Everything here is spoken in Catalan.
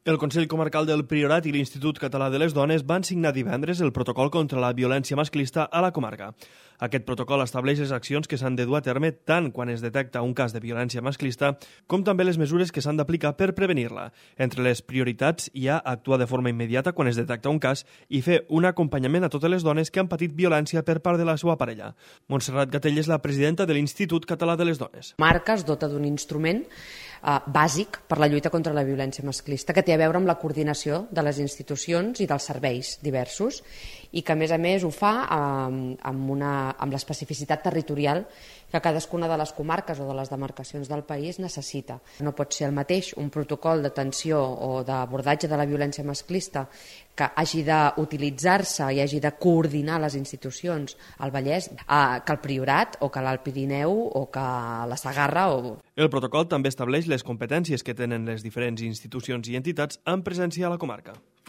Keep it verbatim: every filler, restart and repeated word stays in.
El Consell Comarcal del Priorat i l'Institut Català de les Dones van signar divendres el protocol contra la violència masclista a la comarca. Aquest protocol estableix les accions que s'han de dur a terme tant quan es detecta un cas de violència masclista com també les mesures que s'han d'aplicar per prevenir-la. Entre les prioritats hi ha actuar de forma immediata quan es detecta un cas i fer un acompanyament a totes les dones que han patit violència per part de la seva parella. Montserrat Gatell és la presidenta de l'Institut Català de les Dones. Marca es dota d'un instrument eh, bàsic per la lluita contra la violència masclista que té a veure amb la coordinació de les institucions i dels serveis diversos i que a més a més ho fa eh, amb, una, amb l'especificitat territorial que cadascuna de les comarques o de les demarcacions del país necessita. No pot ser el mateix un protocol d'atenció o d'abordatge de la violència masclista que hagi d'utilitzar-se i hagi de coordinar les institucions al Vallès eh, que el Priorat o que l'Alt Pirineu o que la Segarra. O... El protocol també estableix les competències que tenen les diferents institucions i entitats en presència a la comarca.